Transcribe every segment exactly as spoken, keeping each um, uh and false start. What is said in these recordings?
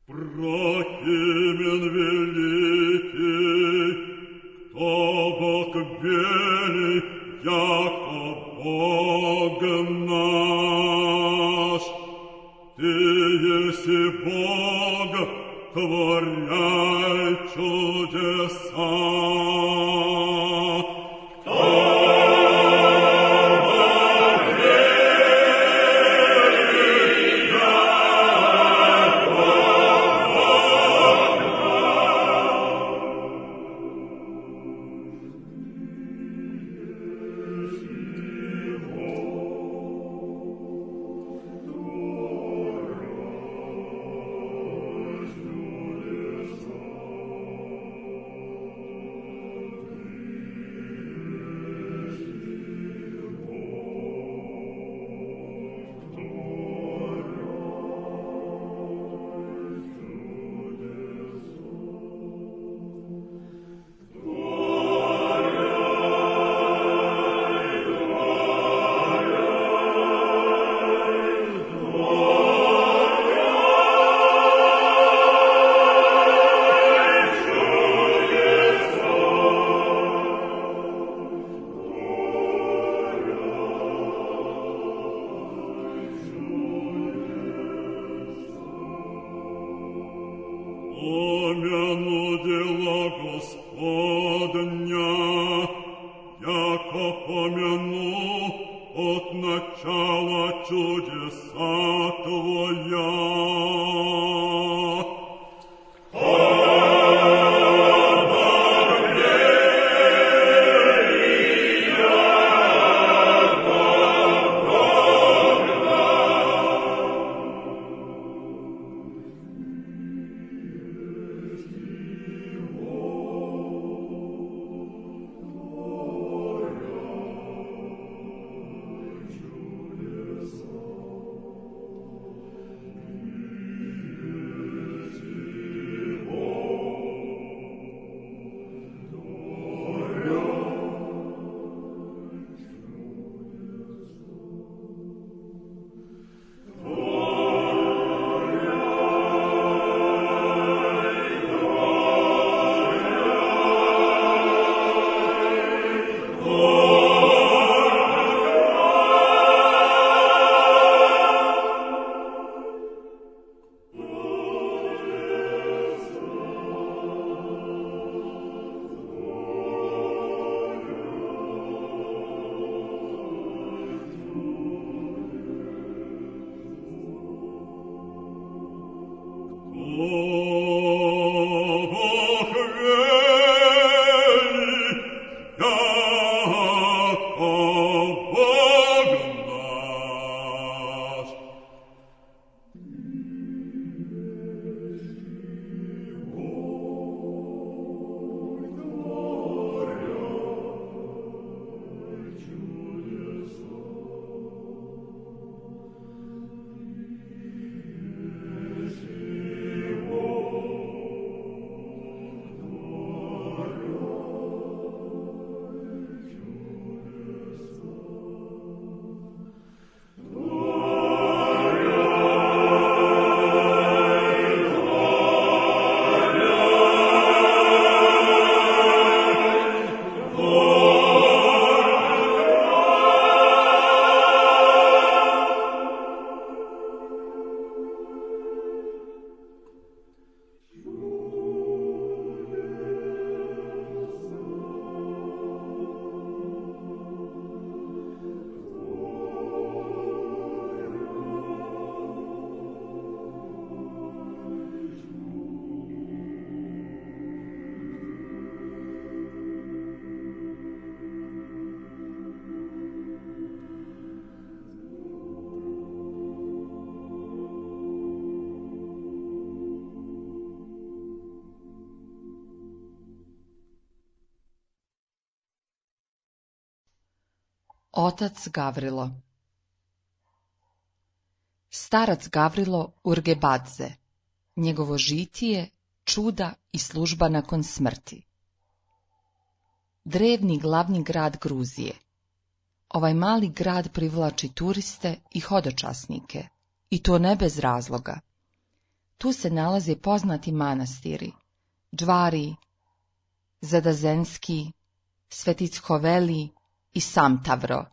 Прокимен великий, кто Бог вели, яко Бог наш. Ты еси Бог, творяй чудеса. Помяну дела Господня, яко помяну от начала чудеса Твоя. Otac Gavrilo. Starac Gavrilo Urgebadze, njegovo žitije, čuda i služba nakon smrti. Drevni glavni grad Gruzije. Ovaj mali grad privlači turiste i hodočasnike, i to ne bez razloga. Tu se nalaze poznati manastiri Džvari, Zadazenski, Svetichoveli i Samtavro.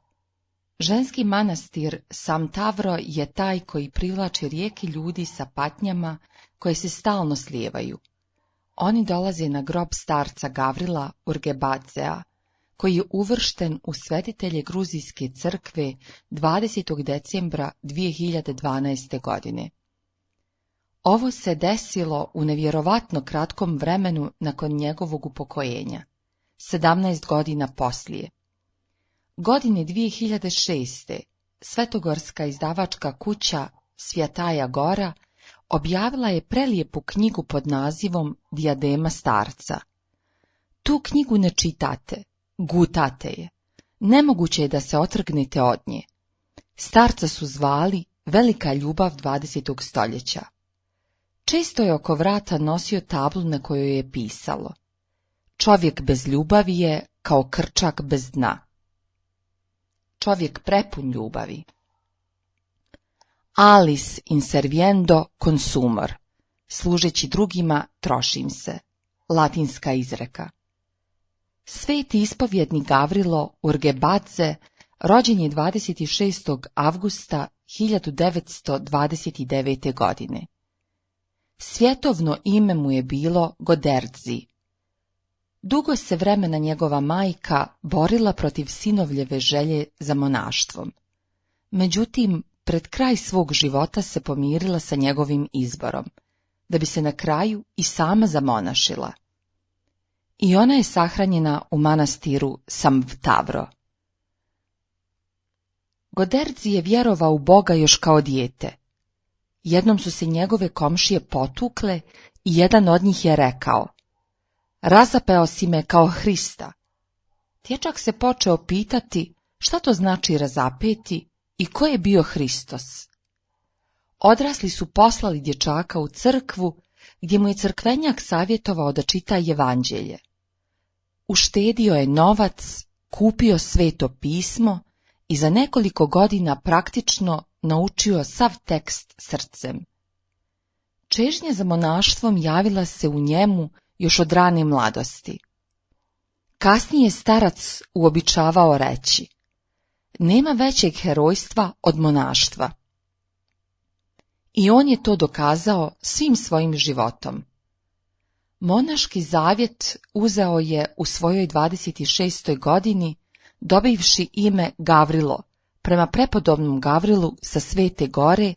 Ženski manastir Samtavro je taj koji privlači rijeke ljudi sa patnjama koje se stalno slijevaju. Oni dolaze na grob starca Gavrila Urgebadzea, koji je uvršten u svetitelje Gruzijske crkve dvadesetog decembra dvije hiljade dvanaeste. godine. Ovo se desilo u nevjerovatno kratkom vremenu nakon njegovog upokojenja, sedamnaest godina poslije. Godine dvije hiljade šeste. Svetogorska izdavačka kuća Svjataja Gora objavila je prelijepu knjigu pod nazivom Dijadema starca. Tu knjigu ne čitate, gutate je. Nemoguće je da se otrgnete od nje. Starca su zvali velika ljubav dvadesetog stoljeća. Često je oko vrata nosio tablu na kojoj je pisalo: čovjek bez ljubavi je kao krčak bez dna. Čovjek prepun ljubavi. Alis inserviendo consumor, služeći drugima trošim se, latinska izreka. Sveti ispovjednik Gavrilo Urgebadze rođen je dvadeset šestog avgusta hiljadu devetsto dvadeset devete. godine. Svjetovno ime mu je bilo Goderdzi. Dugo se vremena njegova majka borila protiv sinovljeve želje za monaštvom. Međutim, pred kraj svog života se pomirila sa njegovim izborom, da bi se na kraju i sama zamonašila. I ona je sahranjena u manastiru Samtavro. Goderdzi je vjerovao u Boga još kao dijete. Jednom su se njegove komšije potukle i jedan od njih je rekao: razapeo si me kao Hrista. Dječak se počeo pitati šta to znači razapeti i ko je bio Hristos. Odrasli su poslali dječaka u crkvu, gdje mu je crkvenjak savjetovao da čita evanđelje. Uštedio je novac, kupio sveto pismo i za nekoliko godina praktično naučio sav tekst srcem. Čežnja za monaštvom javila se u njemu još od rane mladosti. Kasnije starac uobičavao reći: nema većeg herojstva od monaštva. I on je to dokazao svim svojim životom. Monaški zavjet uzeo je u svojoj dvadeset šestoj. godini, dobivši ime Gavrilo, prema prepodobnom Gavrilu sa Svete Gore,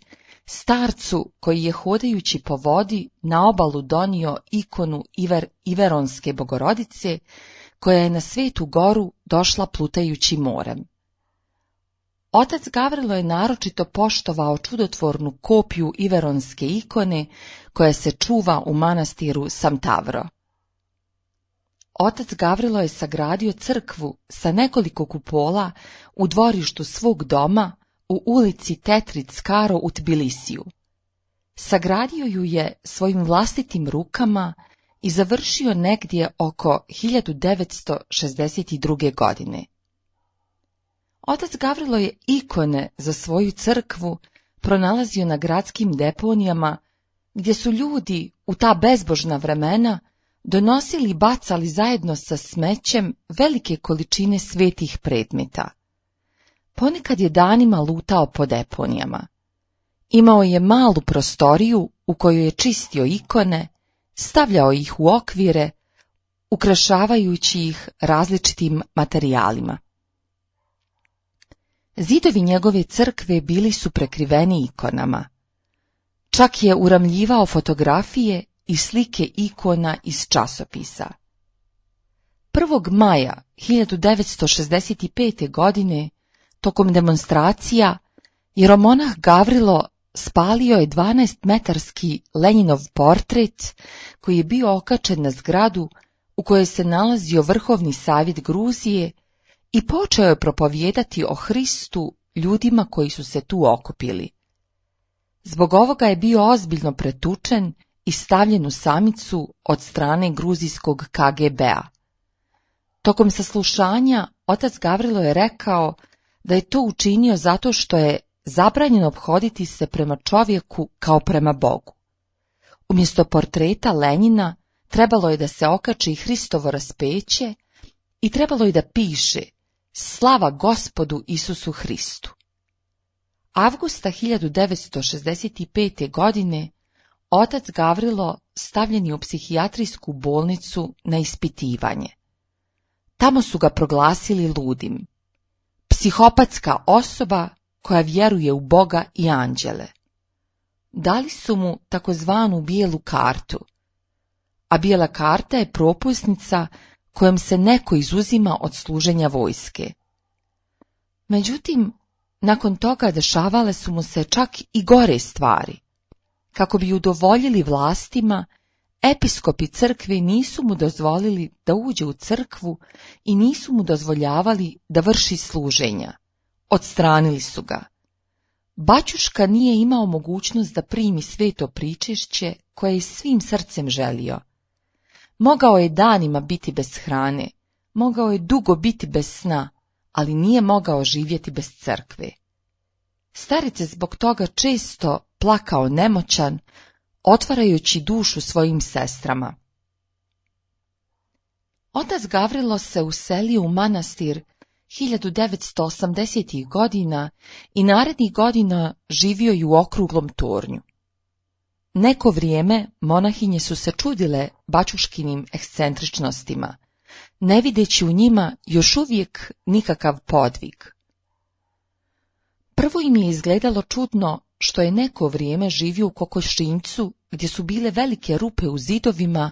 starcu koji je hodajući po vodi na obalu donio ikonu Iver, Iveronske Bogorodice, koja je na Svetu Goru došla plutajući morem. Otac Gavrilo je naročito poštovao čudotvornu kopiju Iveronske ikone koja se čuva u manastiru Samtavro. Otac Gavrilo je sagradio crkvu sa nekoliko kupola u dvorištu svog doma u ulici Tetric Karo u Tbilisiju. Sagradio ju je svojim vlastitim rukama i završio negdje oko hiljadu devetsto šezdeset druge. godine. Otac Gavrilo je ikone za svoju crkvu pronalazio na gradskim deponijama, gdje su ljudi u ta bezbožna vremena donosili i bacali zajedno sa smećem velike količine svetih predmeta. Ponekad je danima lutao po deponijama. Imao je malu prostoriju u kojoj je čistio ikone, stavljao ih u okvire, ukrašavajući ih različitim materijalima. Zidovi njegove crkve bili su prekriveni ikonama. Čak je uramljivao fotografije i slike ikona iz časopisa. prvog maja hiljadu devetsto šezdeset pete. godine, tokom demonstracija, jeromonah Gavrilo spalio je dvanaestmetarski Lenjinov portret koji je bio okačen na zgradu u kojoj se nalazio Vrhovni savjet Gruzije i počeo je propovijedati o Hristu ljudima koji su se tu okupili. Zbog ovoga je bio ozbiljno pretučen i stavljen u samicu od strane gruzijskog K G B-a. Tokom saslušanja otac Gavrilo je rekao da je to učinio zato što je zabranjeno ophoditi se prema čovjeku kao prema Bogu. Umjesto portreta Lenjina trebalo je da se okači Hristovo raspeće i trebalo je da piše Slava Gospodu Isusu Hristu. Avgusta hiljadu devetsto šezdeset pete. godine otac Gavrilo stavljen je u psihijatrijsku bolnicu na ispitivanje. Tamo su ga proglasili ludim. Psihopatska osoba koja vjeruje u Boga i anđele. Dali su mu takozvanu bijelu kartu, a bijela karta je propusnica kojom se neko izuzima od služenja vojske. Međutim, nakon toga dešavale su mu se čak i gore stvari. Kako bi udovoljili vlastima, episkopi crkve nisu mu dozvolili da uđe u crkvu i nisu mu dozvoljavali da vrši služenja. Odstranili su ga. Baćuška nije imao mogućnost da primi sveto pričešće koje je svim srcem želio. Mogao je danima biti bez hrane, mogao je dugo biti bez sna, ali nije mogao živjeti bez crkve. Staric je zbog toga često plakao nemoćan, otvarajući dušu svojim sestrama. Otac Gavrilo se uselio u manastir hiljadu devetsto osamdesetih. godina i narednih godina živio je u okruglom tornju. Neko vrijeme monahinje su se čudile baćuškinim ekscentričnostima, ne videći u njima još uvijek nikakav podvig. Prvo im je izgledalo čudno što je neko vrijeme živio u kokošinjcu gdje su bile velike rupe u zidovima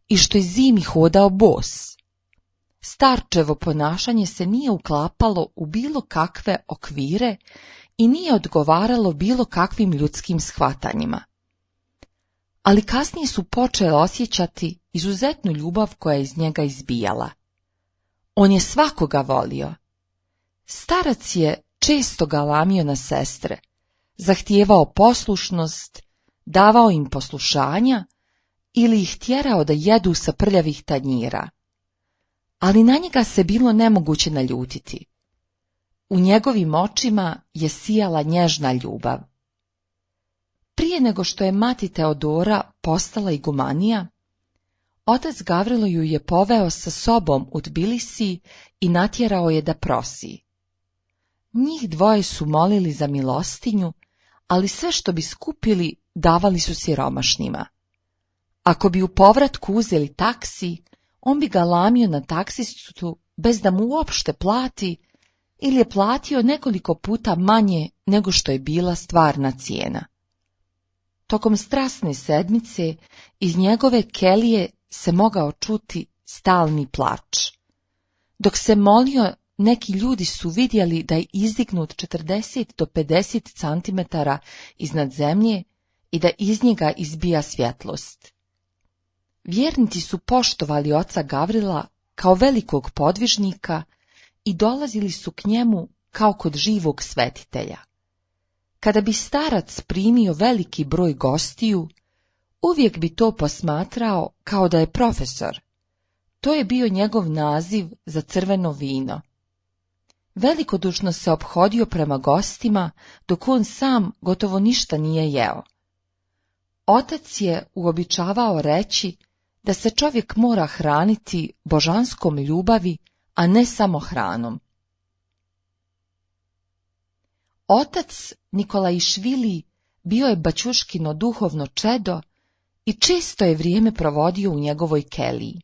i što je zimi hodao bos. Starčevo ponašanje se nije uklapalo u bilo kakve okvire i nije odgovaralo bilo kakvim ljudskim shvatanjima. Ali kasnije su počeli osjećati izuzetnu ljubav koja je iz njega izbijala. On je svakoga volio. Starac je često galamio na sestre, zahtijevao poslušnost, davao im poslušanja ili ih tjerao da jedu sa prljavih tanjira. Ali na njega se bilo nemoguće naljutiti. U njegovim očima je sijala nježna ljubav. Prije nego što je mati Teodora postala igumanija, otac Gavrilo ju je poveo sa sobom u Tbilisi i natjerao je da prosi. Njih dvoje su molili za milostinju, ali sve što bi skupili davali su siromašnima. Ako bi u povratku uzeli taksi, on bi ga lamio na taksistu bez da mu uopšte plati ili je platio nekoliko puta manje nego što je bila stvarna cijena. Tokom strasne sedmice iz njegove kelije se mogao čuti stalni plač. Dok se molio, neki ljudi su vidjeli da je izdignut četrdeset do pedeset centimetara iznad zemlje i da iz njega izbija svjetlost. Vjernici su poštovali oca Gavrila kao velikog podvižnika i dolazili su k njemu kao kod živog svetitelja. Kada bi starac primio veliki broj gostiju, uvijek bi to posmatrao kao da je profesor. To je bio njegov naziv za crveno vino. Velikodušno se ophodio prema gostima, dok on sam gotovo ništa nije jeo. Otac je uobičavao reći da se čovjek mora hraniti božanskom ljubavi, a ne samo hranom. Otac Nikolaišvili bio je Baćuškino duhovno čedo i često je vrijeme provodio u njegovoj keliji.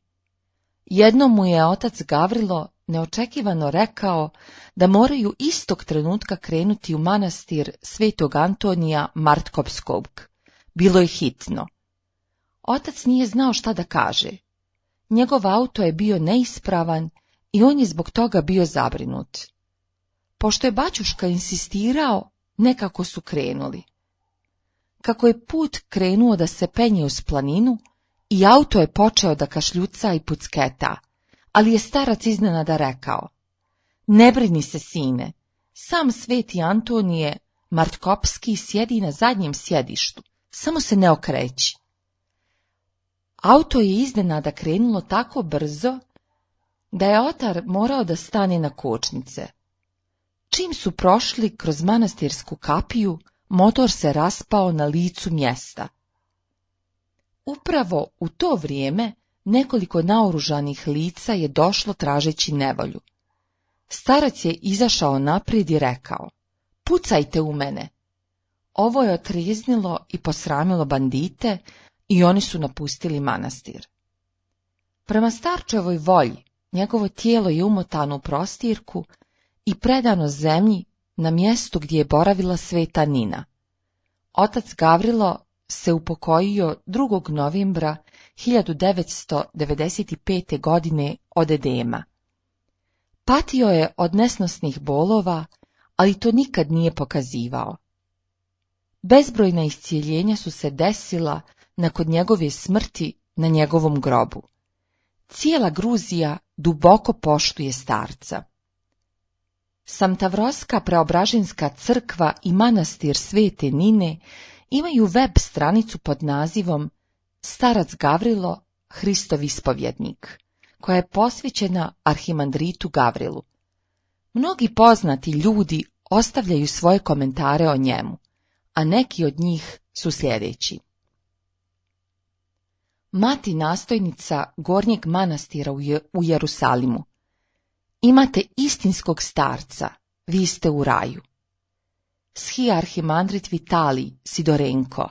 Jednom mu je otac Gavrilo neočekivano rekao da moraju istog trenutka krenuti u manastir Svetog Antonija Martkopskog. Bilo je hitno. Otac nije znao šta da kaže. Njegov auto je bio neispravan i on je zbog toga bio zabrinut. Pošto je baćuška insistirao, nekako su krenuli. Kako je put krenuo da se penje uz planinu, i auto je počeo da kašljuca i pucketa, ali je starac iznenada rekao: ne brini se, sine, sam sveti Antonije Martkopski sjedi na zadnjem sjedištu, samo se ne okreći. Auto je iznenada krenulo tako brzo da je otar morao da stane na kočnice. Čim su prošli kroz manastirsku kapiju, motor se raspao na licu mjesta. Upravo u to vrijeme nekoliko naoružanih lica je došlo tražeći nevolju. Starac je izašao naprijed i rekao: pucajte u mene. Ovo je otrijeznilo i posramilo bandite i oni su napustili manastir. Prema starčevoj volji, njegovo tijelo je umotano u prostirku i predano zemlji na mjestu gdje je boravila sveta Nina. Otac Gavrilo se upokojio drugog novembra hiljadu devetsto devedeset pete. godine od edema. Patio je od nesnosnih bolova, ali to nikad nije pokazivao. Bezbrojna iscijeljenja su se desila nakon njegove smrti na njegovom grobu. Cijela Gruzija duboko poštuje starca. Samtavroska preobraženska crkva i manastir svete Nine imaju web stranicu pod nazivom Starac Gavrilo, Hristov ispovjednik, koja je posvećena arhimandritu Gavrilu. Mnogi poznati ljudi ostavljaju svoje komentare o njemu, a neki od njih su sljedeći. Mati nastojnica Gornjeg manastira u Jerusalimu: imate istinskog starca, vi ste u raju. Schi arhimandrit Vitalij Sidorenko: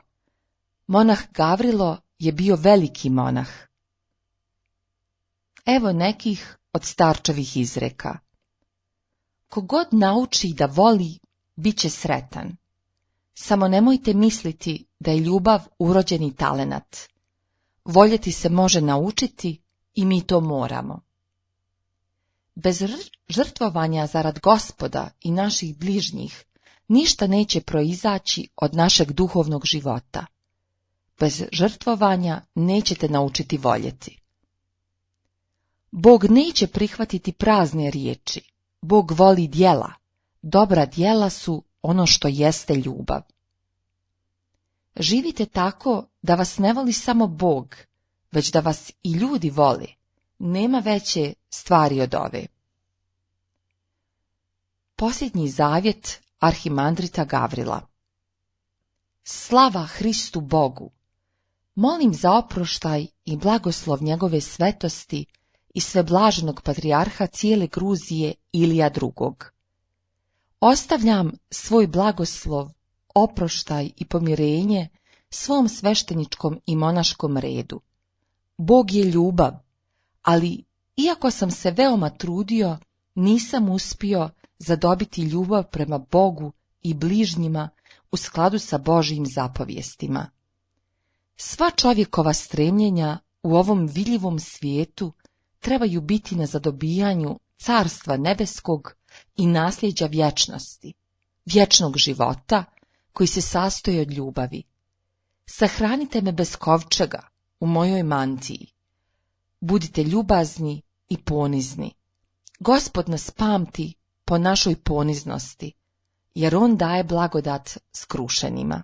monah Gavrilo je bio veliki monah. Evo nekih od starčevih izreka. Kogod nauči da voli, bit će sretan. Samo nemojte misliti da je ljubav urođeni talenat. Voljeti se može naučiti i mi to moramo. Bez žrtvovanja zarad Gospoda i naših bližnjih ništa neće proizaći od našeg duhovnog života. Bez žrtvovanja nećete naučiti voljeti. Bog neće prihvatiti prazne riječi. Bog voli djela. Dobra djela su ono što jeste ljubav. Živite tako da vas ne voli samo Bog, već da vas i ljudi vole. Nema veće stvari od ove. Posljednji zavjet arhimandrita Gavrila. Slava Hristu Bogu! Molim za oproštaj i blagoslov njegove svetosti i sveblaženog patrijarha cijele Gruzije Ilija drugog. Ostavljam svoj blagoslov, oproštaj i pomirenje svom svešteničkom i monaškom redu. Bog je ljubav, ali iako sam se veoma trudio, nisam uspio zadobiti ljubav prema Bogu i bližnjima u skladu sa Božjim zapovjestima. Sva čovjekova stremljenja u ovom vidljivom svijetu trebaju biti na zadobijanju carstva nebeskog i nasljeđa vječnosti, vječnog života koji se sastoji od ljubavi. Sahranite me bez kovčega u mojoj mantiji. Budite ljubazni i ponizni. Gospod nas pamti po našoj poniznosti, jer on daje blagodat skrušenima.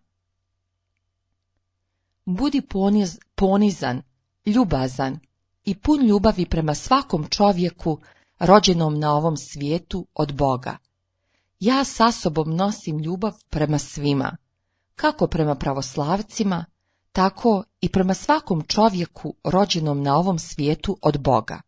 Budi poniz, ponizan, ljubazan i pun ljubavi prema svakom čovjeku rođenom na ovom svijetu od Boga. Ja sa sobom nosim ljubav prema svima, kako prema pravoslavcima, tako i prema svakom čovjeku rođenom na ovom svijetu od Boga.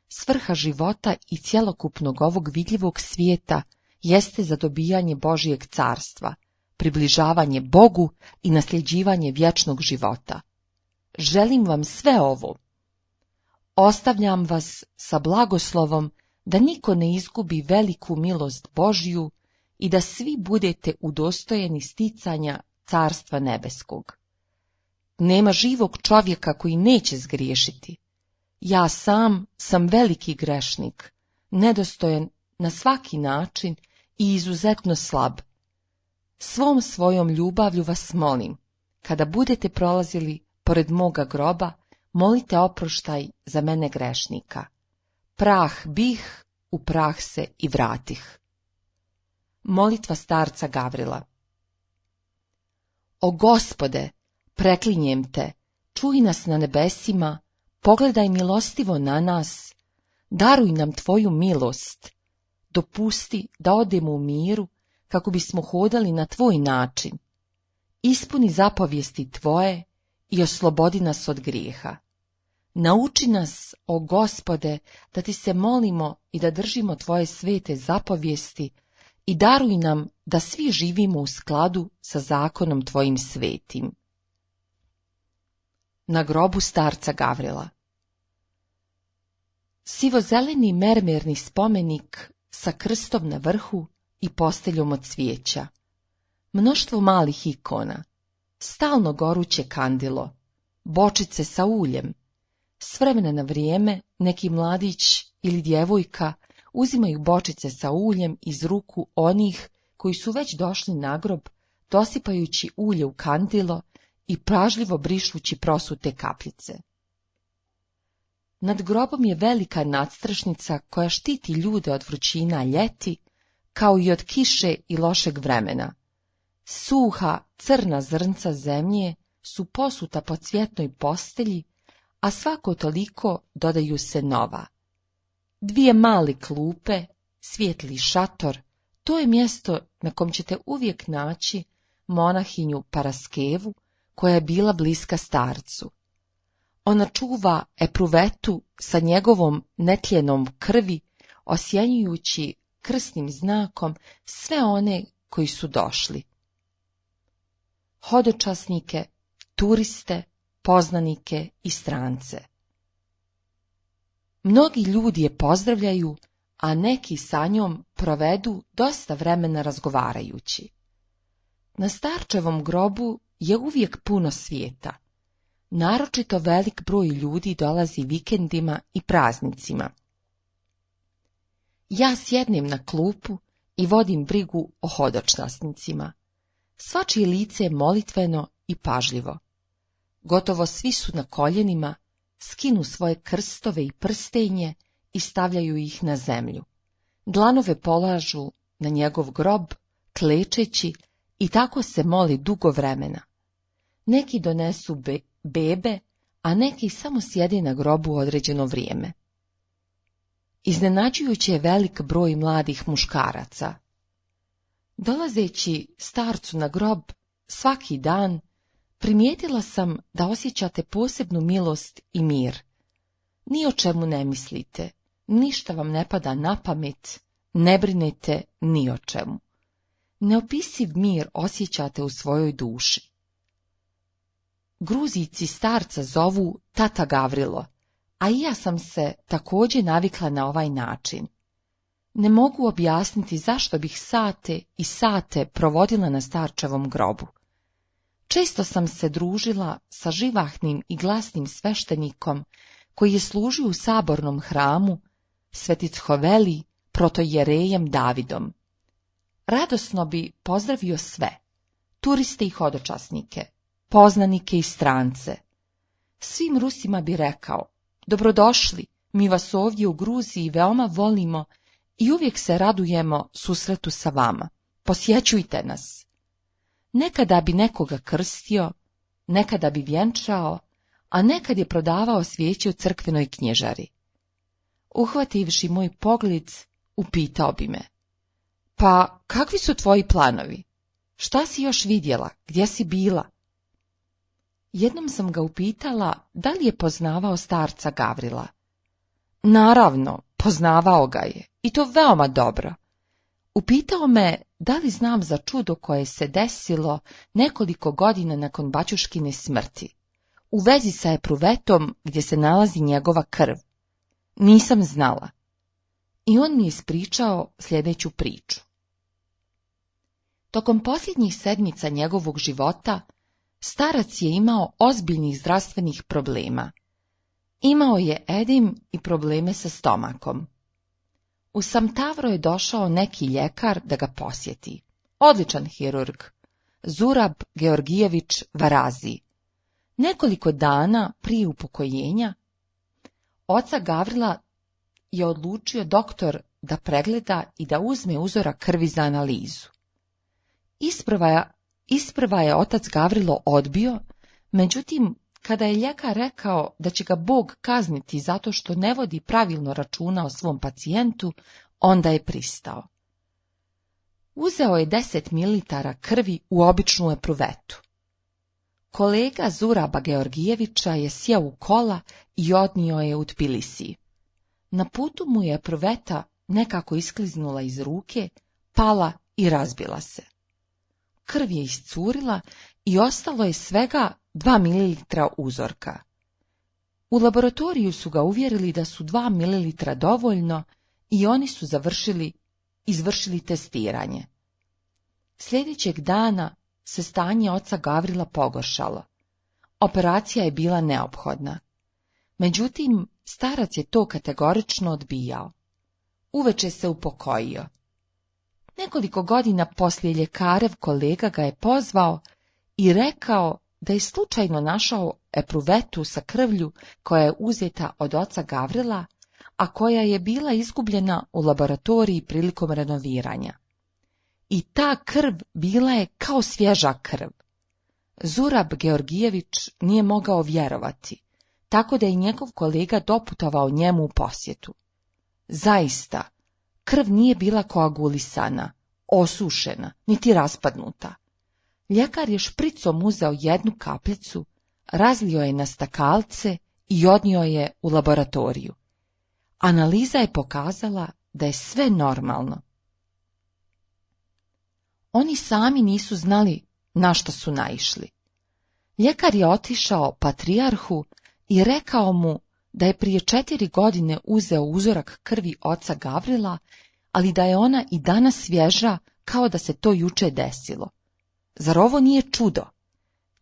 Svrha života i cjelokupnog ovog vidljivog svijeta jeste zadobijanje Božjeg carstva, približavanje Bogu i nasljeđivanje vječnog života. Želim vam sve ovo. Ostavljam vas sa blagoslovom da niko ne izgubi veliku milost Božju i da svi budete udostojeni sticanja carstva nebeskog. Nema živog čovjeka koji neće zgriješiti. Ja sam sam veliki grešnik, nedostojan na svaki način i izuzetno slab. Svom svojom ljubavlju vas molim, kada budete prolazili pored moga groba, molite oproštaj za mene grešnika. Prah bih, u prah se i vratih. Molitva starca Gavrila. O Gospode, preklinjem te, čuj nas na nebesima, pogledaj milostivo na nas, daruj nam tvoju milost, dopusti da odemo u miru, kako bismo hodali na tvoj način. Ispuni zapovijesti tvoje i oslobodi nas od grijeha. Nauči nas, o Gospode, da ti se molimo i da držimo tvoje svete zapovijesti i daruj nam da svi živimo u skladu sa zakonom tvojim svetim. Na grobu starca Gavrila. Sivozeleni mermerni spomenik sa krstom na vrhu i posteljom od cvijeća. Mnoštvo malih ikona, stalno goruće kandilo, bočice sa uljem. S vremena na vrijeme neki mladić ili djevojka uzimaju bočice sa uljem iz ruku onih koji su već došli na grob, dosipajući ulje u kandilo i pažljivo brišući prosute kapljice. Nad grobom je velika nadstrešnica koja štiti ljude od vrućina ljeti, kao i od kiše i lošeg vremena. Suha, crna zrnca zemlje su posuta po cvjetnoj postelji, a svako toliko dodaju se nova. Dvije male klupe, svijetli šator, to je mjesto na kom ćete uvijek naći monahinju Paraskevu, koja je bila bliska starcu. Ona čuva epruvetu sa njegovom netljenom krvi, osjenjujući krsnim znakom sve one koji su došli. Hodočasnike, turiste, poznanike i strance. Mnogi ljudi je pozdravljaju, a neki sa njom provedu dosta vremena razgovarajući. Na starčevom grobu je uvijek puno svijeta. Naročito velik broj ljudi dolazi vikendima i praznicima. Ja sjednem na klupu i vodim brigu o hodočasnicima. Svačije lice je molitveno i pažljivo. Gotovo svi su na koljenima, skinu svoje krstove i prstenje i stavljaju ih na zemlju. Dlanove polažu na njegov grob, klečeći, i tako se moli dugo vremena. Neki donesu be bebe, a neki samo sjede na grobu određeno vrijeme. Iznenađujući je velik broj mladih muškaraca. Dolazeći starcu na grob svaki dan, primijetila sam da osjećate posebnu milost i mir. Ni o čemu ne mislite, ništa vam ne pada na pamet, ne brinete ni o čemu. Neopisiv mir osjećate u svojoj duši. Gruzijci starca zovu tata Gavrilo, a i ja sam se također navikla na ovaj način. Ne mogu objasniti zašto bih sate i sate provodila na starčevom grobu. Često sam se družila sa živahnim i glasnim sveštenikom koji je služio u sabornom hramu, Svetichoveli, protojerejem Davidom. Radosno bi pozdravio sve, turiste i hodočasnike, poznanike i strance. Svim Rusima bi rekao, dobrodošli, mi vas ovdje u Gruziji veoma volimo i uvijek se radujemo susretu sa vama, posjećujte nas. Nekada bi nekoga krstio, nekada bi vjenčao, a nekad je prodavao svijeće u crkvenoj knjižari. Uhvativši moj pogled, upitao bi me, pa kakvi su tvoji planovi? Šta si još vidjela? Gdje si bila? Jednom sam ga upitala da li je poznavao starca Gavrila. Naravno, poznavao ga je, i to veoma dobro. Upitao me da li znam za čudo koje se desilo nekoliko godina nakon bačuškine smrti, u vezi sa epruvetom gdje se nalazi njegova krv. Nisam znala. I on mi je ispričao sljedeću priču. Tokom posljednjih sedmica njegovog života, starac je imao ozbiljnih zdravstvenih problema. Imao je edim i probleme sa stomakom. U Samtavro je došao neki ljekar da ga posjeti. Odličan hirurg, Zurab Georgijević Varazi. Nekoliko dana prije upokojenja, oca Gavrila je odlučio doktor da pregleda i da uzme uzorak krvi za analizu. Isprva je, isprva je otac Gavrilo odbio, međutim, kada je ljekar rekao da će ga Bog kazniti zato što ne vodi pravilno računa o svom pacijentu, onda je pristao. Uzeo je deset mililitara krvi u običnu epruvetu. Kolega Zuraba Georgijevića je sjeo u kola i odnio je u Tbilisiji. Na putu mu je epruveta nekako iskliznula iz ruke, pala i razbila se. Krv je iscurila i ostalo je svega dva mililitra uzorka. U laboratoriju su ga uvjerili da su dva mililitra dovoljno i oni su završili, izvršili testiranje. Sljedećeg dana se stanje oca Gavrila pogoršalo. Operacija je bila neophodna. Međutim, starac je to kategorično odbijao. Uveče se upokojio. Nekoliko godina poslije ljekarev kolega ga je pozvao i rekao da je slučajno našao epruvetu sa krvlju koja je uzeta od oca Gavrila, a koja je bila izgubljena u laboratoriji prilikom renoviranja. I ta krv bila je kao svježa krv. Zurab Georgijević nije mogao vjerovati, tako da je njegov kolega doputovao njemu u posjetu. Zaista, krv nije bila koagulisana, osušena, niti raspadnuta. Ljekar je špricom uzeo jednu kapljicu, razlio je na stakalce i odnio je u laboratoriju. Analiza je pokazala da je sve normalno. Oni sami nisu znali na što su naišli. Ljekar je otišao patrijarhu i rekao mu da je prije četiri godine uzeo uzorak krvi oca Gavrila, ali da je ona i danas svježa kao da se to juče desilo. Zar ovo nije čudo?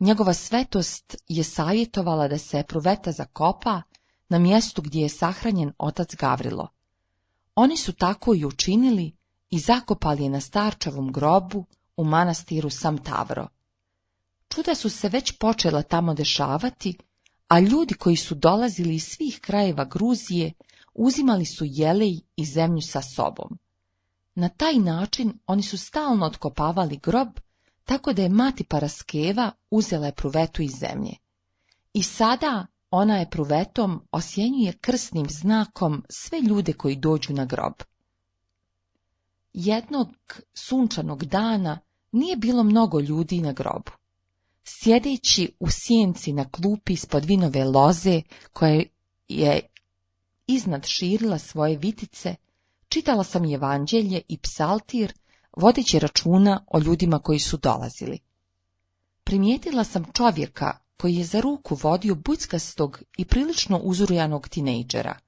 Njegova svetost je savjetovala da se epruveta zakopa na mjestu gdje je sahranjen otac Gavrilo. Oni su tako i učinili i zakopali je na starčevom grobu u manastiru Samtavro. Čuda su se već počela tamo dešavati, a ljudi koji su dolazili iz svih krajeva Gruzije uzimali su jelej i zemlju sa sobom. Na taj način oni su stalno otkopavali grob, tako da je mati Paraskeva uzela epruvetu iz zemlje. I sada ona epruvetom osjenjuje krsnim znakom sve ljude koji dođu na grob. Jednog sunčanog dana nije bilo mnogo ljudi na grobu. Sjedeći u sjenci na klupi ispod vinove loze, koja je iznad širila svoje vitice, čitala sam evanđelje i psaltir, vodeći računa o ljudima koji su dolazili. Primijetila sam čovjeka koji je za ruku vodio bućkastog i prilično uzrujanog tinejdžera.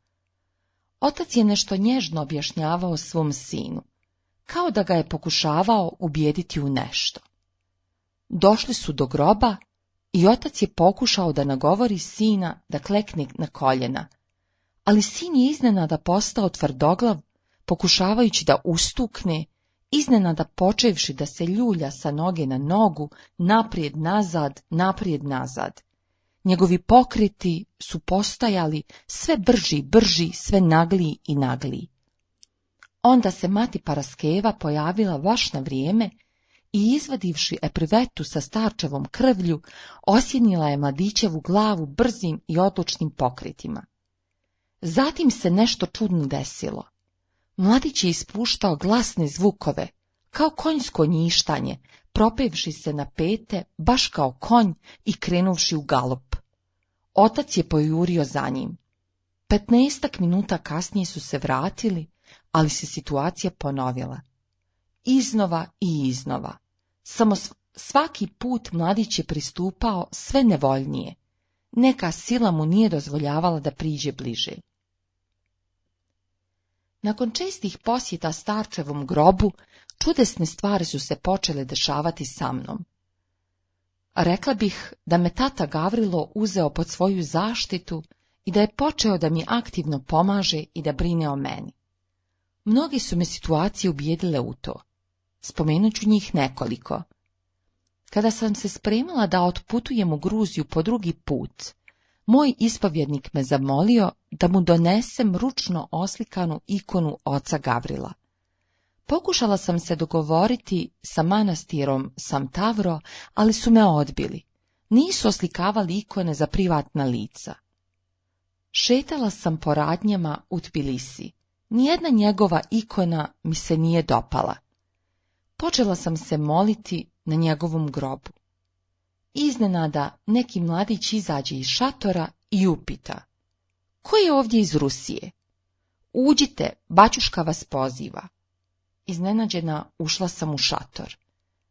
Otac je nešto nježno objašnjavao svom sinu, kao da ga je pokušavao ubijediti u nešto. Došli su do groba i otac je pokušao da nagovori sina da klekne na koljena, ali sin je iznenada postao tvrdoglav, pokušavajući da ustukne, iznenada počevši da se ljulja sa noge na nogu, naprijed nazad, naprijed nazad. Njegovi pokreti su postajali sve brži, brži, sve nagliji i nagliji. Onda se mati Paraskeva pojavila baš na vrijeme i izvadivši epruvetu sa starčevom krvlju, osjenila je mladićevu glavu brzim i odlučnim pokretima. Zatim se nešto čudno desilo. Mladić je ispuštao glasne zvukove, kao konjsko njištanje, propevši se na pete, baš kao konj i krenuvši u galop. Otac je pojurio za njim. Petnaestak minuta kasnije su se vratili, ali se situacija ponovila. Iznova i iznova. Samo svaki put mladić je pristupao sve nevoljnije. Neka sila mu nije dozvoljavala da priđe bliže. Nakon čestih posjeta starčevom grobu, čudesne stvari su se počele dešavati sa mnom. Rekla bih da me tata Gavrilo uzeo pod svoju zaštitu i da je počeo da mi aktivno pomaže i da brine o meni. Mnogi su me situacije ubijedile u to. Spomenut ću njih nekoliko. Kada sam se spremala da otputujem u Gruziju po drugi put, moj ispovjednik me zamolio da mu donesem ručno oslikanu ikonu oca Gavrila. Pokušala sam se dogovoriti sa manastirom Samtavro, ali su me odbili. Nisu oslikavali ikone za privatna lica. Šetala sam po radnjama u Tbilisi. Nijedna njegova ikona mi se nije dopala. Počela sam se moliti na njegovom grobu. iznenada neki mladić izađe iz šatora i upita: ko je ovdje iz Rusije? Uđite, baćuška vas poziva. Iznenađena ušla sam u šator.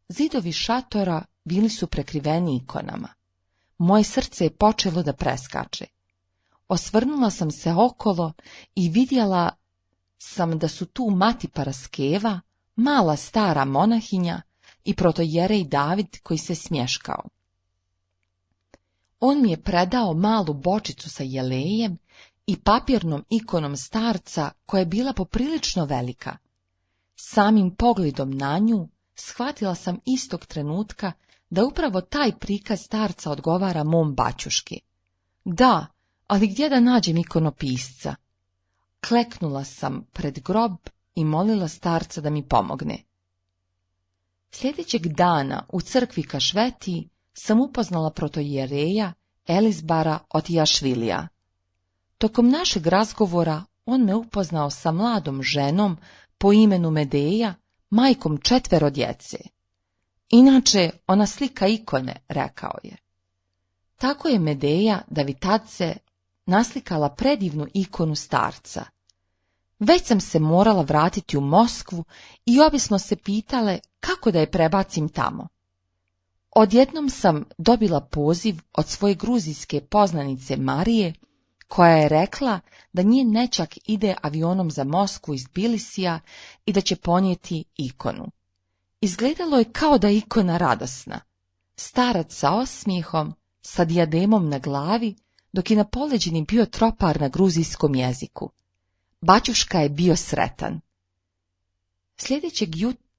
Zidovi šatora bili su prekriveni ikonama. Moje srce je počelo da preskače. Osvrnula sam se okolo i vidjela sam da su tu mati Paraskeva, mala stara monahinja i protojerej David koji se smješkao. On mi je predao malu bočicu sa jelejem i papirnom ikonom starca koja je bila poprilično velika. Samim pogledom na nju shvatila sam istog trenutka da upravo taj prikaz starca odgovara mom baćuški. Da, ali gdje da nađem ikonopisca? Kleknula sam pred grob i molila starca da mi pomogne. Sljedećeg dana u crkvi Kašvetiji sam upoznala protoijereja Elizbara Otijašvilija. Tokom našeg razgovora on me upoznao sa mladom ženom po imenu Medeja, majkom četvero djece. Inače, ona slika ikone, rekao je. Tako je Medeja Davitadze naslikala predivnu ikonu starca. Već sam se morala vratiti u Moskvu i obisno se pitale kako da je prebacim tamo. Odjednom sam dobila poziv od svoje gruzijske poznanice Marije, koja je rekla da njen nećak ide avionom za Moskvu iz Tbilisija i da će ponijeti ikonu. Izgledalo je kao da je ikona radosna. Starac sa osmijehom, sa dijademom na glavi, dok je na poleđini bio tropar na gruzijskom jeziku. Baćuška je bio sretan. Sljedećeg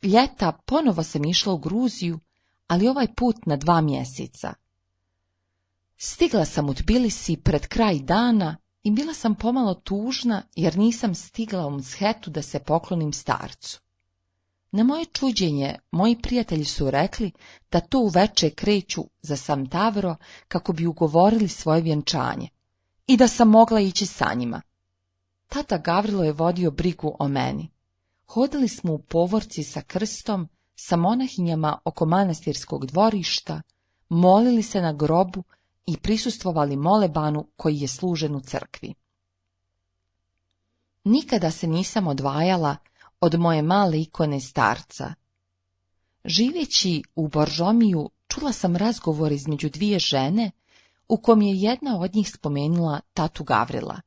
ljeta ponovo sam išla u Gruziju, ali ovaj put na dva mjeseca. Stigla sam u Tbilisi pred kraj dana i bila sam pomalo tužna jer nisam stigla u Mshetu da se poklonim starcu. Na moje čuđenje, moji prijatelji su rekli da to uveče kreću za Sam Tavro kako bi ugovorili svoje vjenčanje i da sam mogla ići sa njima. Tata Gavrilo je vodio brigu o meni. Hodili smo u povorci sa krstom, sa monahinjama oko manastirskog dvorišta, molili se na grobu i prisustvovali molebanu koji je služen u crkvi. Nikada se nisam odvajala od moje male ikone starca. Živeći u Boržomiju čula sam razgovor između dvije žene, u kom je jedna od njih spomenula tatu Gavrila.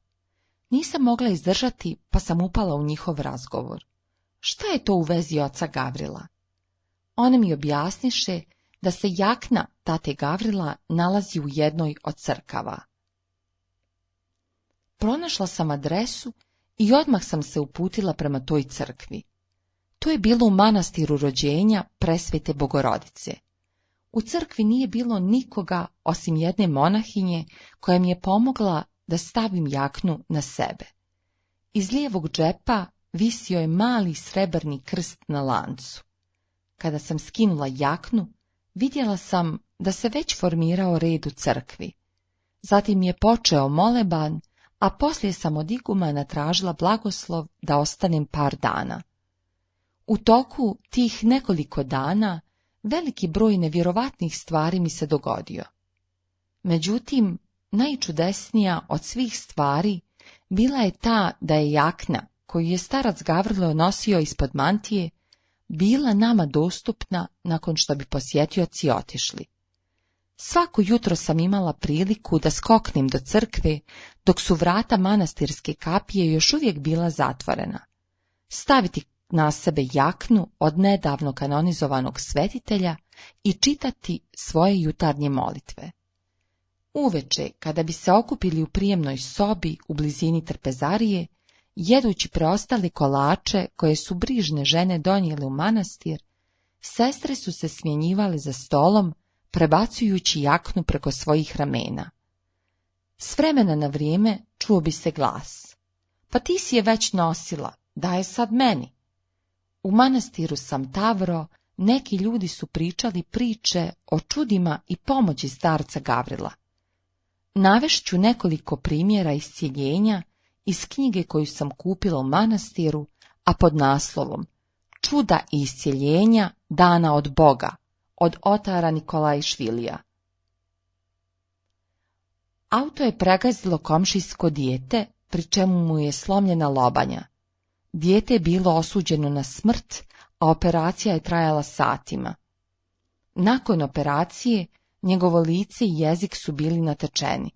Nisam mogla izdržati, pa sam upala u njihov razgovor. Šta je to u vezi oca Gavrila? One mi objasniše da se jakna tate Gavrila nalazi u jednoj od crkava. Pronašla sam adresu i odmah sam se uputila prema toj crkvi. To je bilo u manastiru rođenja Presvete Bogorodice. U crkvi nije bilo nikoga osim jedne monahinje koja mi je pomogla da stavim jaknu na sebe. Iz lijevog džepa visio je mali srebrni krst na lancu. Kada sam skinula jaknu, vidjela sam da se već formirao red u crkvi. Zatim je počeo moleban, a poslije sam od igumana tražila blagoslov da ostanem par dana. U toku tih nekoliko dana veliki broj nevjerovatnih stvari mi se dogodio. Međutim, najčudesnija od svih stvari bila je ta da je jakna, koju je starac Gavrilo nosio ispod mantije, bila nama dostupna nakon što bi posjetioci otišli. Svako jutro sam imala priliku da skoknem do crkve, dok su vrata manastirske kapije još uvijek bila zatvorena. Staviti na sebe jaknu od nedavno kanonizovanog svetitelja i čitati svoje jutarnje molitve. Uveče, kada bi se okupili u prijemnoj sobi u blizini trpezarije, jedući preostale kolače koje su brižne žene donijele u manastir, sestre su se smjenjivale za stolom, prebacujući jaknu preko svojih ramena. S vremena na vrijeme čuo bi se glas. Pa ti si je već nosila, daj sad meni. U manastiru Sam Tavro neki ljudi su pričali priče o čudima i pomoći starca Gavrila. Navešću nekoliko primjera iscjeljenja iz knjige koju sam kupila u manastiru, a pod naslovom Čuda i iscjeljenja dana od Boga, od otara Nikolajšvilija. Auto je pregazilo komšijsko dijete, pri čemu mu je slomljena lobanja. Dijete je bilo osuđeno na smrt, a operacija je trajala satima. Nakon operacije, njegovo lice i jezik su bili natečeni.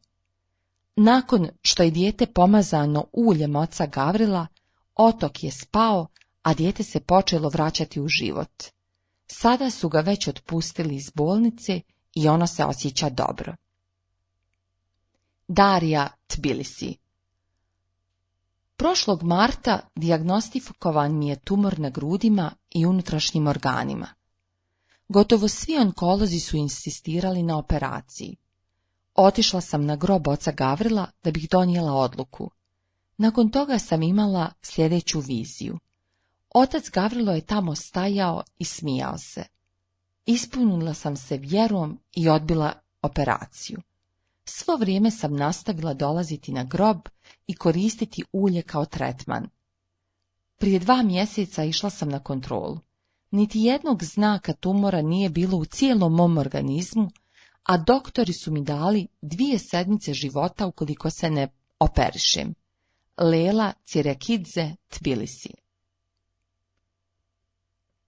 Nakon što je dijete pomazano uljem oca Gavrila, otok je spao, a dijete se počelo vraćati u život. Sada su ga već otpustili iz bolnice i ono se osjeća dobro. Darija, Tbilisi. Prošlog marta dijagnostikovan mi je tumor na grudima i unutrašnjim organima. Gotovo svi onkolozi su insistirali na operaciji. Otišla sam na grob oca Gavrila da bih donijela odluku. Nakon toga sam imala sljedeću viziju. Otac Gavrilo je tamo stajao i smijao se. Ispunila sam se vjerom i odbila operaciju. Svo vrijeme sam nastavila dolaziti na grob i koristiti ulje kao tretman. Prije dva mjeseca išla sam na kontrolu. Niti jednog znaka tumora nije bilo u cijelom mom organizmu, a doktori su mi dali dvije sedmice života ukoliko se ne operišem. Lela Cirekidze, Tbilisi.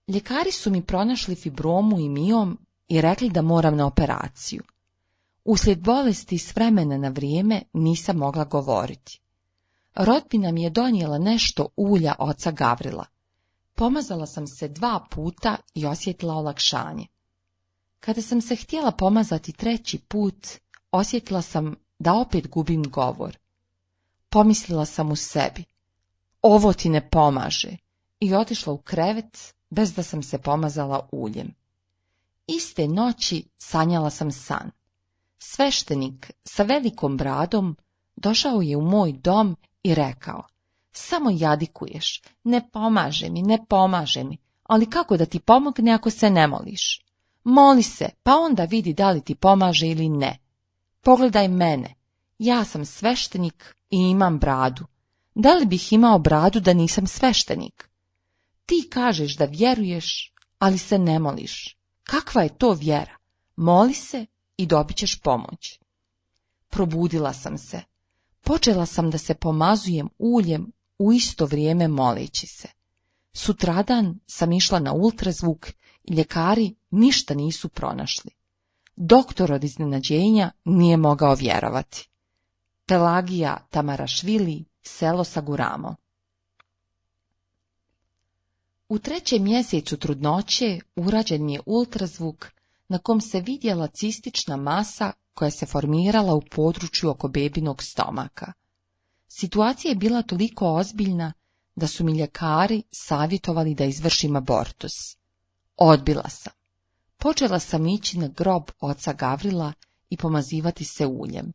Ljekari su mi pronašli fibromu i miom i rekli da moram na operaciju. Uslijed bolesti s vremena na vrijeme nisam mogla govoriti. Rodbina mi je donijela nešto ulja oca Gavrila. Pomazala sam se dva puta i osjetila olakšanje. Kada sam se htjela pomazati treći put, osjetila sam da opet gubim govor. Pomislila sam u sebi, ovo ti ne pomaže, i otišla u krevet bez da sam se pomazala uljem. Iste noći sanjala sam san. Sveštenik sa velikom bradom došao je u moj dom i rekao, samo jadikuješ, ne pomaže mi, ne pomaže mi, ali kako da ti pomogne ako se ne moliš? Moli se, pa onda vidi da li ti pomaže ili ne. Pogledaj mene, ja sam sveštenik i imam bradu. Da li bih imao bradu da nisam sveštenik? Ti kažeš da vjeruješ, ali se ne moliš. Kakva je to vjera? Moli se i dobit ćeš pomoć. Probudila sam se. Počela sam da se pomazujem uljem u isto vrijeme moleći se. Sutradan sam išla na ultrazvuk i ljekari ništa nisu pronašli. Doktor od iznenađenja nije mogao vjerovati. Pelagija Tamarašvili, selo Saguramo. U trećem mjesecu trudnoće urađen mi je ultrazvuk na kom se vidjela cistična masa koja se formirala u području oko bebinog stomaka. Situacija je bila toliko ozbiljna da su mi ljekari savjetovali da izvršim abortus. Odbila sam. Počela sam ići na grob oca Gavrila i pomazivati se uljem.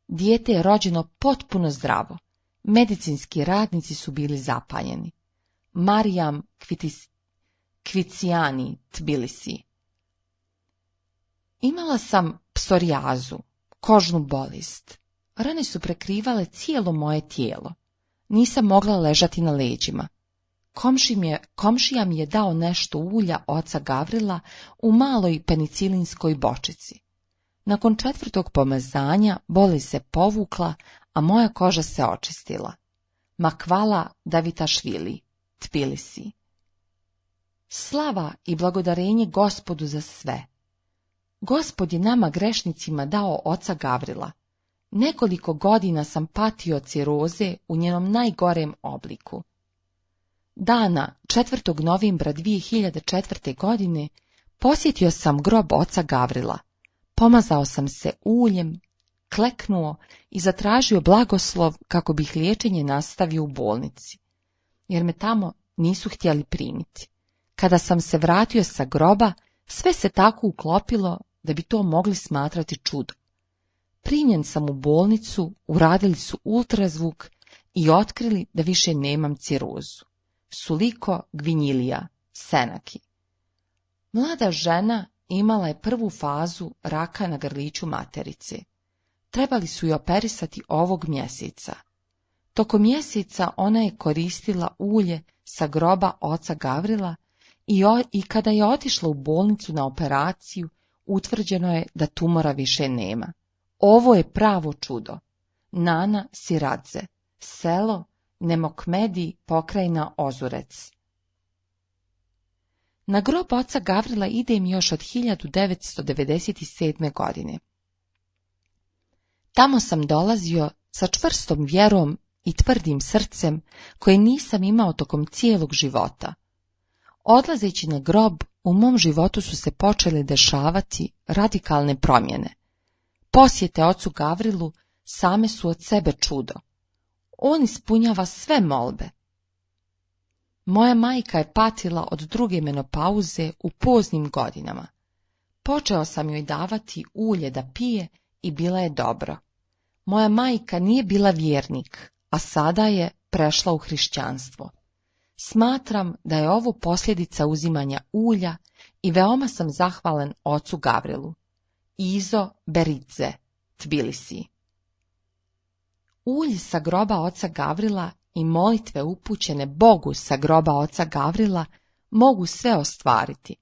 Dijete je rođeno potpuno zdravo. Medicinski radnici su bili zapanjeni. Marijam Kvitis, Kvicijani, Tbilisi. Imala sam psorijazu, kožnu bolest. Rane su prekrivale cijelo moje tijelo. Nisam mogla ležati na leđima. Komši mi je, komšija mi je dao nešto ulja oca Gavrila u maloj penicilinskoj bočici. Nakon četvrtog pomazanja bolest se povukla, a moja koža se očistila. Makvala Davitašvili, Tbilisi. Slava i blagodarenje Gospodu za sve. Gospod je nama grešnicima dao oca Gavrila. Nekoliko godina sam patio od ciroze u njenom najgorem obliku. Dana četvrtog novembra dvije hiljade četvrte. godine posjetio sam grob oca Gavrila. Pomazao sam se uljem, kleknuo i zatražio blagoslov kako bih liječenje nastavio u bolnici, jer me tamo nisu htjeli primiti. Kada sam se vratio sa groba, sve se tako uklopilo da bi to mogli smatrati čudom. Primljen sam u bolnicu, uradili su ultrazvuk i otkrili da više nemam cirozu. Suliko Gvinjilija, Senaki. Mlada žena imala je prvu fazu raka na grliću materice. Trebali su je operisati ovog mjeseca. Tokom mjeseca ona je koristila ulje sa groba oca Gavrila i, o, i kada je otišla u bolnicu na operaciju, utvrđeno je da tumora više nema. Ovo je pravo čudo. Nana Siradze, selo Nemokmedi, pokrajina Ozurec. Na grob oca Gavrila idem još od hiljadu devetsto devedeset sedme. godine. Tamo sam dolazio sa čvrstom vjerom i tvrdim srcem koje nisam imao tokom cijelog života. Odlazeći na grob, u mom životu su se počele dešavati radikalne promjene. Posjete ocu Gavrilu same su od sebe čudo. On ispunjava sve molbe. Moja majka je patila od druge menopauze u poznim godinama. Počeo sam joj davati ulje da pije i bila je dobro. Moja majka nije bila vjernik, a sada je prešla u hrišćanstvo. Smatram da je ovo posljedica uzimanja ulja i veoma sam zahvalan ocu Gavrilu. Izo Beridze, Tbilisi. Ulj sa groba oca Gavrila i molitve upućene Bogu sa groba oca Gavrila mogu sve ostvariti.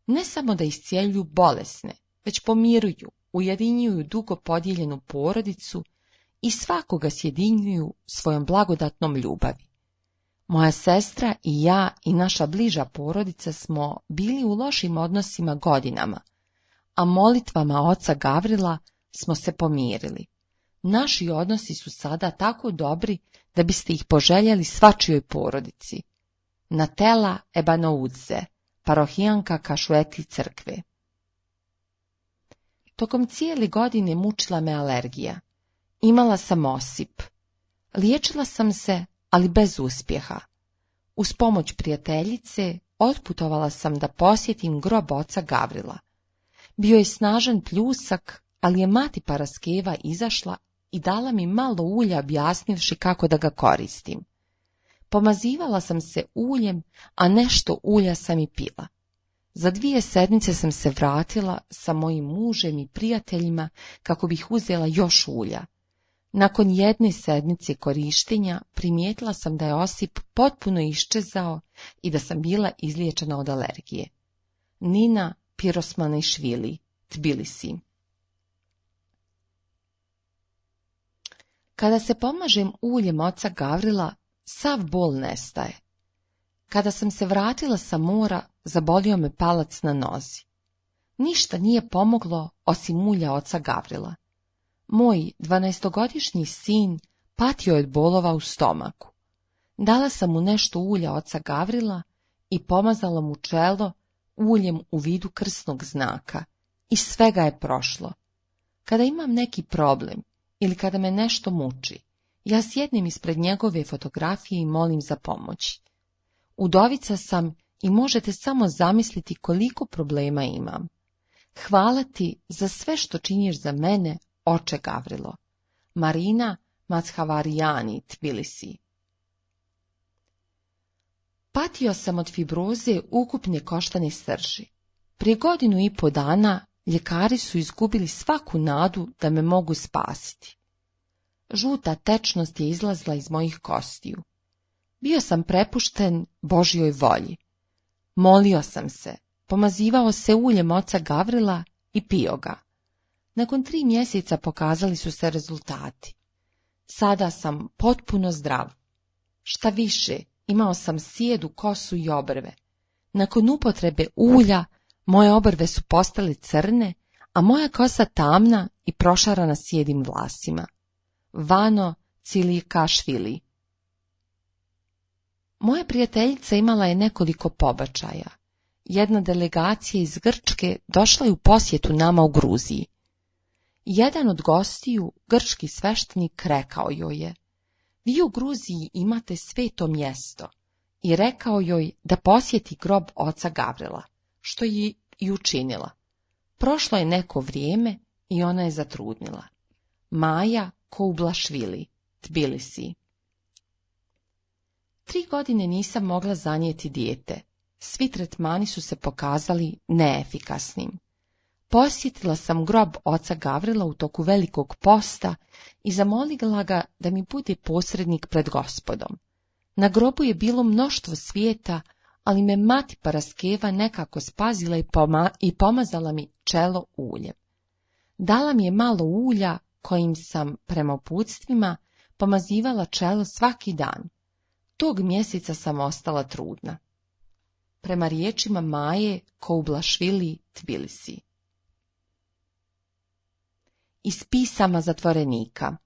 Ne samo da iscijeljuju bolesne, već pomiruju, ujedinjuju dugo podijeljenu porodicu i svakoga sjedinjuju svojom blagodatnom ljubavi. Moja sestra i ja i naša bliža porodica smo bili u lošim odnosima godinama, a molitvama oca Gavrila smo se pomirili. Naši odnosi su sada tako dobri da biste ih poželjeli svačijoj porodici. Natela Ebanoudze, parohijanka Kašueti crkve. Tokom cijele godine mučila me alergija. Imala sam osip. Liječila sam se, ali bez uspjeha. Uz pomoć prijateljice otputovala sam da posjetim grob oca Gavrila. Bio je snažan pljusak, ali je mati Paraskeva izašla i dala mi malo ulja objasnivši kako da ga koristim. Pomazivala sam se uljem, a nešto ulja sam i pila. Za dvije sedmice sam se vratila sa mojim mužem i prijateljima kako bih uzela još ulja. Nakon jedne sedmice korištenja primijetila sam da je osip potpuno iščezao i da sam bila izliječena od alergije. Nina Pirosmanišvili, Tbilisi. Kada se pomažem uljem oca Gavrila, sav bol nestaje. Kada sam se vratila sa mora, zabolio me palac na nozi. Ništa nije pomoglo osim ulja oca Gavrila. Moj dvanaestogodišnji sin patio od bolova u stomaku. Dala sam mu nešto ulja oca Gavrila i pomazala mu čelo uljem u vidu krsnog znaka i svega je prošlo. Kada imam neki problem ili kada me nešto muči, ja sjednem ispred njegove fotografije i molim za pomoć. Udovica sam i možete samo zamisliti koliko problema imam. Hvala ti za sve što činiš za mene, oče Gavrilo. Marina Mazhavarijani, Tbilisi. Patio sam od fibroze ukupne koštane srži. Prije godinu i po dana ljekari su izgubili svaku nadu da me mogu spasiti. Žuta tečnost je izlazla iz mojih kostiju. Bio sam prepušten Božjoj volji. Molio sam se, pomazivao se uljem oca Gavrila i pio ga. Nakon tri mjeseca pokazali su se rezultati. Sada sam potpuno zdrav. Šta više, imao sam sjedu kosu i obrve. Nakon upotrebe ulja, moje obrve su postale crne, a moja kosa tamna i prošarana sjedim vlasima. Vano Cilikašvili. Moja prijateljica imala je nekoliko pobačaja. Jedna delegacija iz Grčke došla je u posjetu nama u Gruziji. Jedan od gostiju, grčki sveštenik, rekao joj je: vi u Gruziji imate sveto mjesto, i rekao joj da posjeti grob oca Gavrila, što je i učinila. Prošlo je neko vrijeme i ona je zatrudnila. Maja Koublašvili, Tbilisi. Tri godine nisam mogla zanijeti dijete. Svi tretmani su se pokazali neefikasnim. Posjetila sam grob oca Gavrila u toku velikog posta i zamolila ga da mi bude posrednik pred Gospodom. Na grobu je bilo mnoštvo svijeta, ali me mati Paraskeva nekako spazila i, poma- i pomazala mi čelo uljem. Dala mi je malo ulja kojim sam prema uputstvima pomazivala čelo svaki dan. Tog mjeseca sam ostala trudna. Prema riječima Maje Koublašvili, Tbilisi. Iz pisama zatvorenika.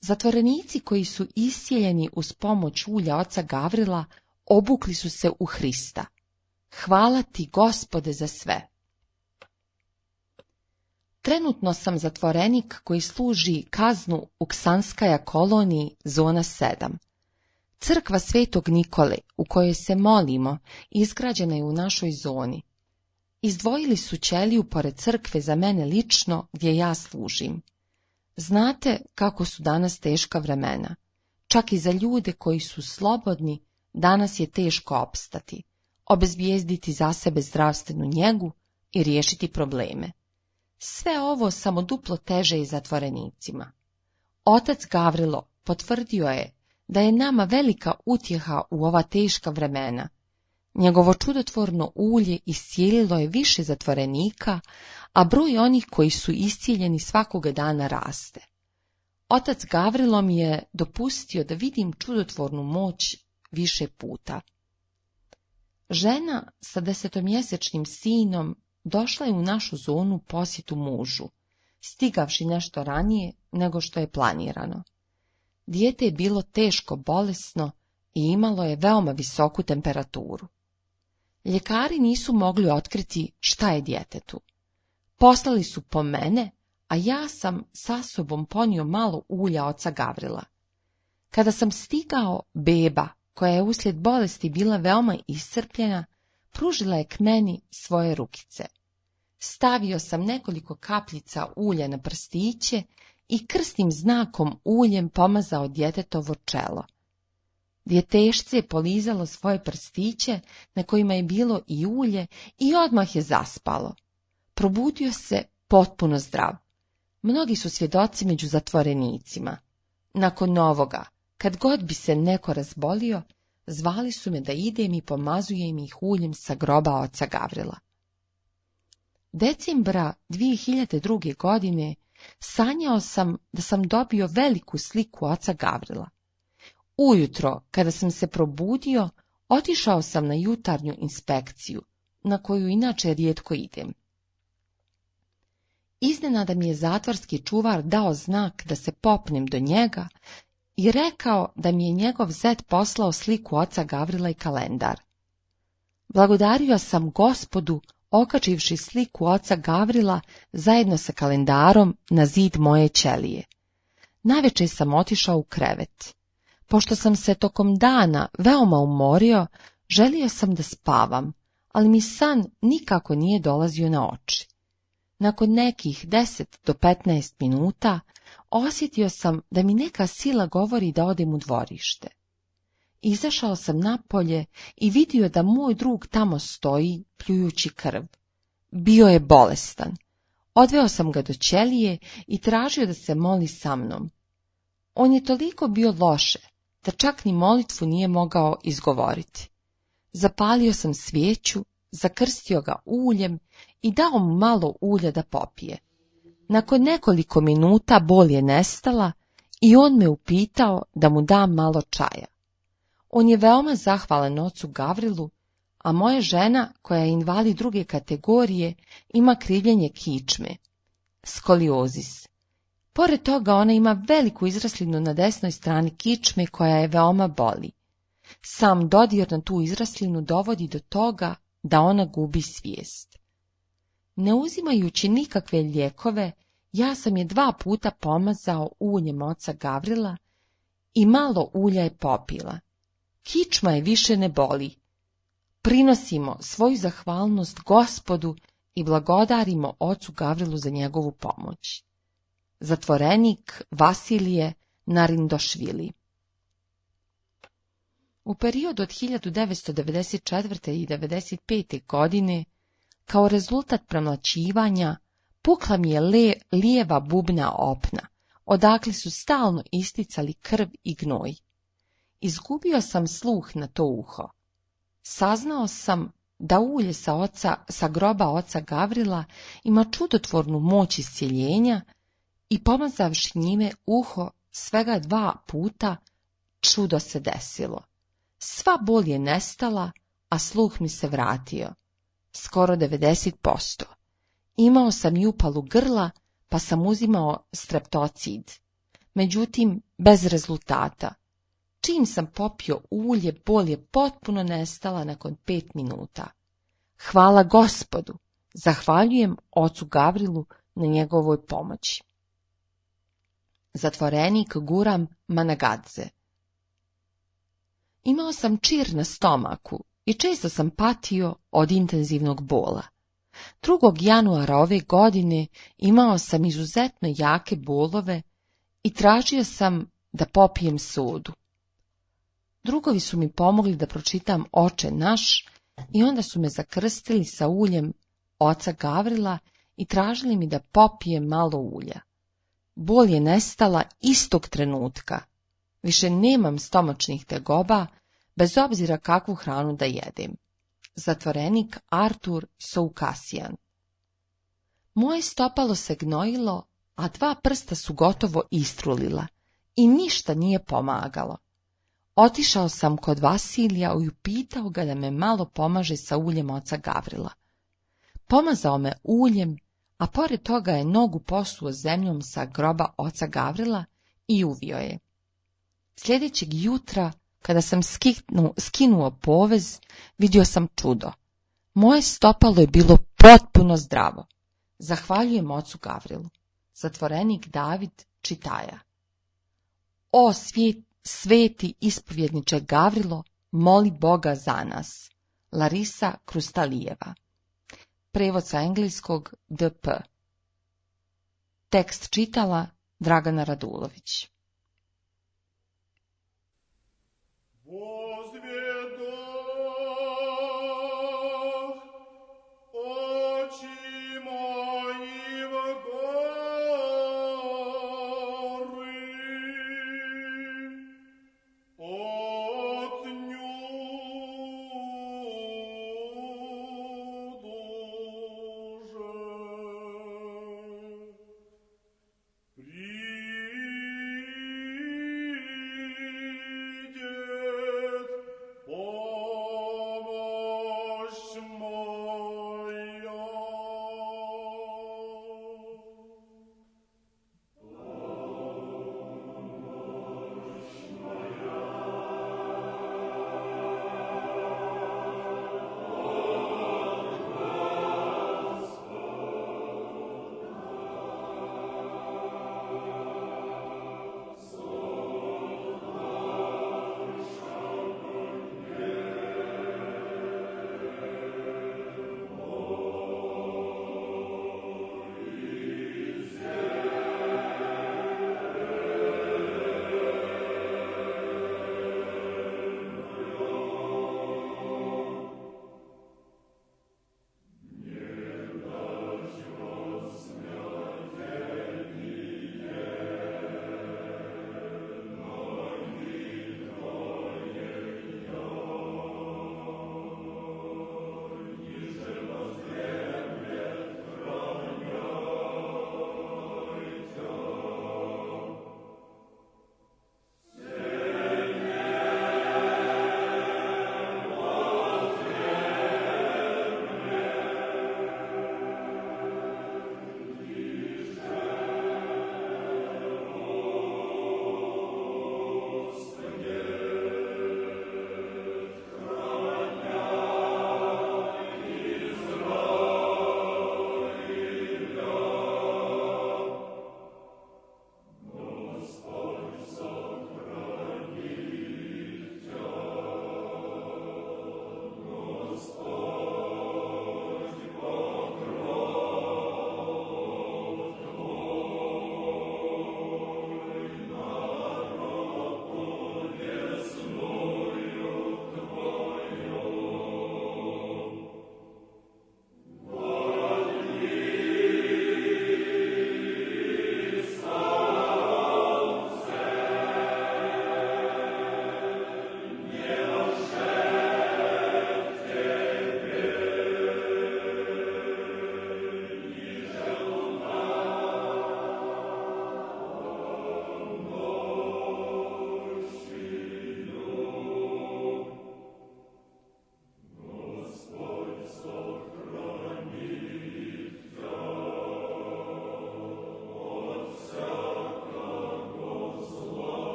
Zatvorenici koji su iscijeljeni uz pomoć ulja oca Gavrila obukli su se u Hrista. Hvala ti, Gospode, za sve. Trenutno sam zatvorenik koji služi kaznu u Ksanskaja koloniji, zona sedam. Crkva Svetog Nikole, u kojoj se molimo, izgrađena je u našoj zoni. Izdvojili su ćeliju pored crkve za mene lično, gdje ja služim. Znate kako su danas teška vremena. Čak i za ljude koji su slobodni, danas je teško opstati, obezbijezditi za sebe zdravstvenu njegu i riješiti probleme. Sve ovo samo duplo teže i zatvorenicima. Otac Gavrilo potvrdio je da je nama velika utjeha u ova teška vremena. Njegovo čudotvorno ulje iscijelilo je više zatvorenika, a broj onih koji su iscijeljeni svakoga dana raste. Otac Gavrilo mi je dopustio da vidim čudotvornu moć više puta. Žena sa desetomjesečnim sinom došla je u našu zonu posjetu mužu, stigavši nešto ranije nego što je planirano. Dijete je bilo teško bolesno i imalo je veoma visoku temperaturu. Ljekari nisu mogli otkriti šta je djetetu. Poslali su po mene, a ja sam sa sobom ponio malo ulja oca Gavrila. Kada sam stigao, beba, koja je uslijed bolesti bila veoma iscrpljena, pružila je k meni svoje rukice. Stavio sam nekoliko kapljica ulja na prstiće i krsnim znakom uljem pomazao djetetovo čelo. Djetešce je polizalo svoje prstiće na kojima je bilo i ulje i odmah je zaspalo. Probudio se potpuno zdrav. Mnogi su svjedoci među zatvorenicima. Nakon ovoga, kad god bi se neko razbolio, zvali su me da idem i pomazujem ih uljem sa groba oca Gavrila. Decembra dvije hiljade druge. godine sanjao sam da sam dobio veliku sliku oca Gavrila. Ujutro, kada sam se probudio, otišao sam na jutarnju inspekciju, na koju inače rijetko idem. Iznenada mi je zatvorski čuvar dao znak da se popnem do njega i rekao da mi je njegov zet poslao sliku oca Gavrila i kalendar. Blagodario sam Gospodu, okačivši sliku oca Gavrila zajedno sa kalendarom na zid moje ćelije. Navečer sam otišao u krevet. Pošto sam se tokom dana veoma umorio, želio sam da spavam, ali mi san nikako nije dolazio na oči. Nakon nekih deset do petnaest minuta osjetio sam da mi neka sila govori da odem u dvorište. Izašao sam napolje i vidio da moj drug tamo stoji, pljujući krv. Bio je bolestan. Odveo sam ga do ćelije i tražio da se moli sa mnom. On je toliko bio loše, da čak ni molitvu nije mogao izgovoriti. Zapalio sam svijeću, zakrstio ga uljem i dao mu malo ulja da popije. Nakon nekoliko minuta bol je nestala i on me upitao da mu dam malo čaja. On je veoma zahvalan ocu Gavrilu, a moja žena, koja je invalid druge kategorije, ima krivljenje kičme, skoliozis. Pored toga ona ima veliku izraslinu na desnoj strani kičme koja je veoma boli. Sam dodir na tu izraslinu dovodi do toga da ona gubi svijest. Ne uzimajući nikakve lijekove, ja sam je dva puta pomazao uljem oca Gavrila i malo ulja je popila. Kičma je više ne boli. Prinosimo svoju zahvalnost Gospodu i blagodarimo ocu Gavrilu za njegovu pomoć. Zatvorenik Vasilije Narindošvili. U periodu od hiljadu devetsto devedeset četvrte. i devedeset pete. godine, kao rezultat premlaćivanja, pukla mi je le, lijeva bubna opna, odakle su stalno isticali krv i gnoj. Izgubio sam sluh na to uho. Saznao sam da ulje sa, oca, sa groba oca Gavrila ima čudotvornu moć iscjeljenja i pomazavši njime uho svega dva puta, čudo se desilo. Sva bol je nestala, a sluh mi se vratio. Skoro devedeset posto. Imao sam i upalu grla, pa sam uzimao streptocid. Međutim, bez rezultata. Čim sam popio ulje, bol je potpuno nestala nakon pet minuta. Hvala Gospodu, zahvaljujem ocu Gavrilu na njegovoj pomoći. Zatvorenik Guram Managadze. Imao sam čir na stomaku i često sam patio od intenzivnog bola. drugog januara ove godine imao sam izuzetno jake bolove i tražio sam da popijem sodu. Drugovi su mi pomogli da pročitam Oče naš i onda su me zakrstili sa uljem oca Gavrila i tražili mi da popijem malo ulja. Bol je nestala istog trenutka. Više nemam stomačnih tegoba, bez obzira kakvu hranu da jedem. Zatvorenik Artur Soukasijan. Moje stopalo se gnojilo, a dva prsta su gotovo istrulila i ništa nije pomagalo. Otišao sam kod Vasilija i upitao ga da me malo pomaže sa uljem oca Gavrila. Pomazao me uljem, a pored toga je nogu posuo zemljom sa groba oca Gavrila i uvio je. Sljedećeg jutra, kada sam skinu, skinuo povez, vidio sam čudo. Moje stopalo je bilo potpuno zdravo. Zahvaljujem ocu Gavrilu. Zatvorenik David Čitaja. O svijet, sveti ispovjedniče Gavrilo, moli Boga za nas. Larisa Krustalijeva. Prevod sa engleskog D P. Tekst čitala Dragana Radulović.